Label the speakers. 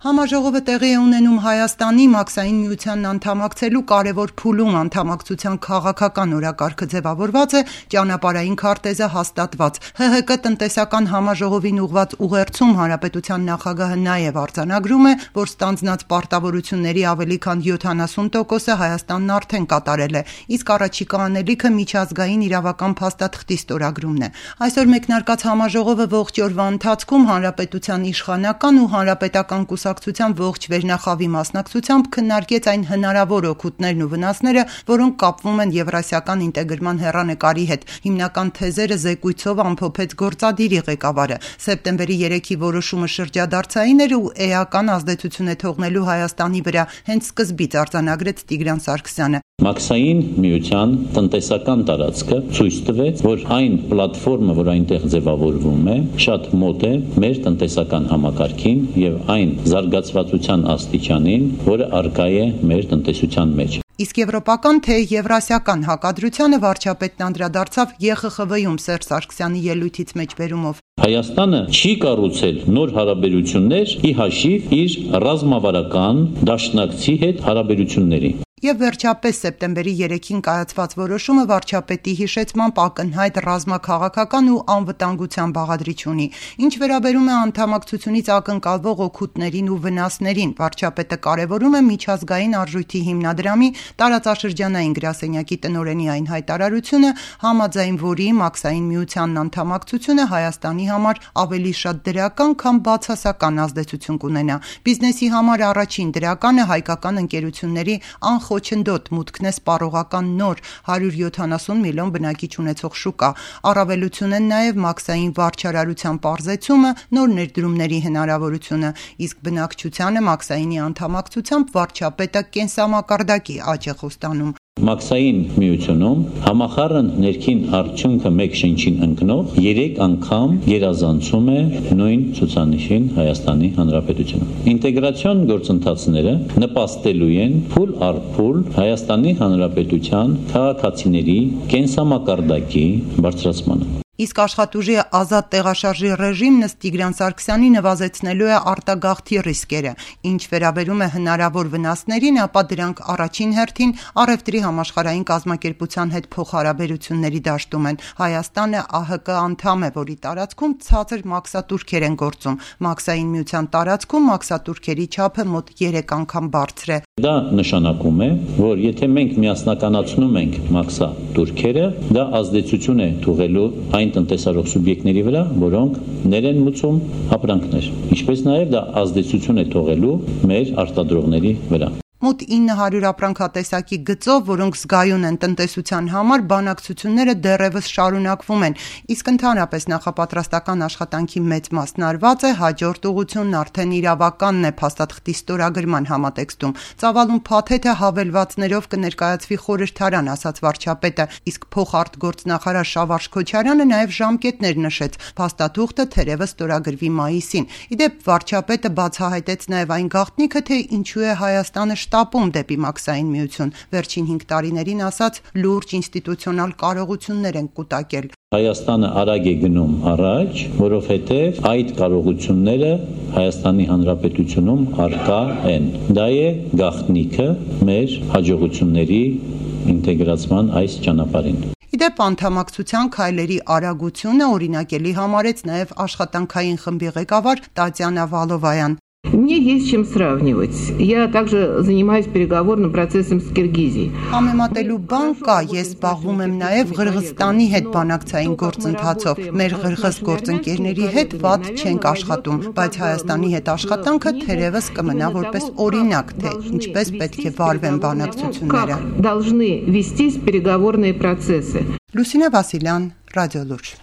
Speaker 1: Համաժողովը տեղի է ունենում Հայաստանի Մաքսային միությանն անդամակցելու կարևոր փուլում, անդամակցության քաղաքական օրակարգը ձևավորված է, ճանապարհային քարտեզը հաստատված։ ՀՀԿ տնտեսական համաժողովին ուղղված ուղերձում հանրապետության նախագահը նաև արձանագրում է, որ ստանձնած պարտավորությունների ավելի քան 70%-ը Հայաստանն արդեն կատարել է, իսկ առաջիկա անելիքը միջազգային իրավական փաստաթղթի ստորագրումն է։ Այսօր մեկնարկած համաժողովը ողջ օրվա ընթացքում հանրապետության իշխանական ու հանրապետական կուսակցության ողջ վերնախավի մասնակցությամբ քննարկեց այն հնարավոր օգուտներն ու վնասները, որոնք կապվում են Եվրասիական ինտեգրման հեռանկարի հետ։ Հիմնական թեզերը զեկույցով ամփոփեց գործադիրի ղեկավարը։ Սեպտեմբերի 3-ի որոշումը շրջադարձային էր ու էական ազդեցություն է թողնելու Հայաստանի վրա, հենց սկզբից արձանագրեց Տիգրան Սարգսյանը։
Speaker 2: Մաքսային միության տնտեսական տարածքը ցույց տվեց, որ այն պլատֆորմը, որ այնտեղ ձևավորվում է, շատ մոտ է մեր տնտեսական համակարգին եւ այն զարգացվածության աստիճանին, որը առկա է մեր տնտեսության մեջ։
Speaker 1: Իսկ եվրոպական թե եվրասիական հակադրությանը վարչապետն անդրադարձավ ԵԽԽՎ-ում Սերժ Սարգսյանի ելույթից մեջբերումով։
Speaker 2: Հայաստանը չի կառուցել նոր հարաբերություններ ի հաշիվ իր ռազմավարական դաշնակցի հետ հարաբերությունների։
Speaker 1: Եվ վերջապես սեպտեմբերի 3-ին կայացված որոշումը վարչապետի հիշեցմամբ ակնհայտ ռազմաքաղաքական ու անվտանգության բաղադրիչ ունի։ Ինչ վերաբերում է անդամակցությունից ակնկալվող օգուտներին ու վնասներին, վարչապետը կարևորում է միջազգային արժույթի հիմնադրամի տարածաշրջանային գրասենյակի տնօրենի այն հայտարարությունը, համաձայն որի Մաքսային միությանն անդամակցությունը Հայաստանի համար ավելի շատ դրական, քան բացասական ազդեցություն կունենա։ Բիզնեսի համար առաջին դրականը հայկական ընկերությունների խոչընդոտ մուտքն է սպառողական նոր 170 միլիոն բնակիչ ունեցող շուկա։ Առավելություն են նաև մաքսային վարչարարության պարզեցումը, նոր ներդրումների հնարավորությունը, իսկ բնակչությանը մաքսայինի անդամակցությամբ վարչապետը կենսամակարդակի աճ է խոստանում։
Speaker 2: Մաքսային միությունում համախառն ներքին արդյունքը մեկ շնչին ընկնող 3 անգամ գերազանցում է նույն ցուցանիշին Հայաստանի Հանրապետությունում։ Ինտեգրացիոն գործընթացները նպաստելու են փուլ առ փուլ Հայաստանի Հանրապետության քաղաքացիների կենսամակարդակի բարձրացմանը։
Speaker 1: Իսկ աշխատուժի ազատ տեղաշարժի ռեժիմն ըստ Տիգրան Սարգսյանի նվազեցնելու է արտագաղթի ռիսկերը։ Ինչ վերաբերում է հնարավոր վնասներին, ապա դրանք առաջին հերթին առևտրի համաշխարհային կազմակերպության հետ փոխհարաբերությունների դաշտում են։ Հայաստանը ԱՀԿ անդամ է, որի տարածքում ցածր մաքսատուրքեր են գործում։ Մաքսային միության տարածքում մաքսատուրքերի չափը մոտ 3 անգամ բարձր է։
Speaker 2: Դա նշանակում է, որ եթե մենք միասնականացնում ենք մաքսատուրքերը, դա ազդեցություն է թողելու այն տնտեսարող սուբյեկտների վրա, որոնք ներ են մուծում ապրանքներ, ինչպես նաև դա ազդեցություն է թողելու մեր արտադրողների վրա։
Speaker 1: Մոտ 900 ապրանքատեսակի գծով, որոնք զգայուն են տնտեսության համար, բանակցությունները դեռևս շարունակվում են, իսկ ընդհանրապես նախապատրաստական աշխատանքի մեծ մասն արված է, հաջորդ ուղղությունն արդեն իրավականն է փաստաթղթի ստորագրման համատեքստում։ Ծավալուն փաթեթը հավելվածներով կներկայացվի խորհրդարան, ասաց վարչապետը, իսկ փոխարտգործնախարար Շավարժ Քոչարյանը նաև ժամկետներ նշեց, փաստաթուղթը թերևս ստորագրվի մայիսին։ Իդեպ վարչապետը բացահայտեց նաև այն գաղտնիքը, թե ինչու է Հայաստանը շտապում դեպի մաքսային միություն։ Վերջին 5 տարիներին ասաց լուրջ ինստիտուցիոնալ կարողություններ են կուտակել։
Speaker 2: Հայաստանը արագ է գնում առաջ, որովհետև այդ կարողությունները Հայաստանի Հանրապետությունում առկա են։ Դա է գաղտնիքը մեր հաջողությունների ինտեգրացման այս ճանապարհին։
Speaker 1: Իդեպ անդամակցության քայլերի արագությունը օրինակելի համարեց նաև աշխատանքային խմբի ղեկավար Տատյանա Վալովայան։
Speaker 3: Мне есть чем сравнивать. Я также занимаюсь переговорным процессом с Киргизией.
Speaker 1: Համեմատելու բան կա, ես զբաղվում եմ նաև Ղրղստանի հետ բանակցային գործընթացով։ Մեր ղրղыз գործընկերների հետ վատ չենք աշխատում, բայց Հայաստանի հետ աշխատանքը թերևս կմնա որպես օրինակ, թե ինչպես պետք է վարվեն բանակցությունները։
Speaker 3: Должны вестись переговорные процессы.
Speaker 1: Լուսինե Վասիլյան, Ռադիոլուրջ։